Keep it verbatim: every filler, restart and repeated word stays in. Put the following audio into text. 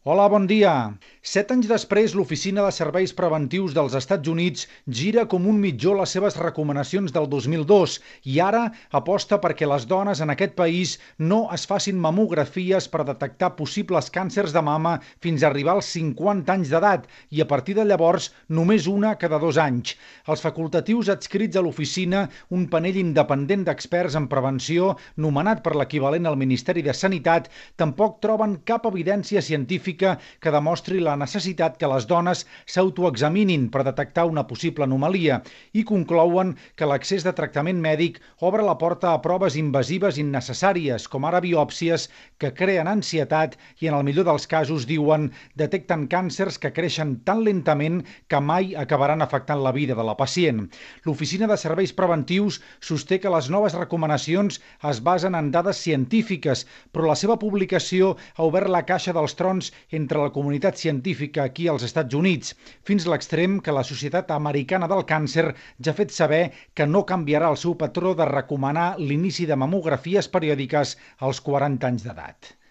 Hola, bon dia. Set anys després, l'Oficina de Serveis Preventius dels Estats Units gira com un mitjó les seves recomanacions del dos mil dos i ara aposta perquè les dones en aquest país no es facin mamografies per detectar possibles càncers de mama fins a arribar als cinquanta anys d'edat i a partir de llavors només una cada dos anys. Els facultatius adscrits a l'oficina, un panell independent d'experts en prevenció nomenat per l'equivalent al Ministeri de Sanitat, tampoc troben cap evidència científica que demostri la necessitat que les dones s'autoexaminin per detectar una possible anomalia i conclouen que l'accés de tractament mèdic obre la porta a proves invasives innecessàries, com ara biòpsies, que creen ansietat i en el millor dels casos, diuen, detecten càncers que creixen tan lentament que mai acabaran afectant la vida de la pacient. L'Oficina de Serveis Preventius sosté que les noves recomanacions es basen en dades científiques, però la seva publicació ha obert la caixa dels trons entre la comunitat científica aquí als Estats Units, fins a l'extrem que la Societat Americana del Càncer ja ha fet saber que no canviarà el seu patró de recomanar l'inici de mamografies periòdiques als quaranta anys d'edat.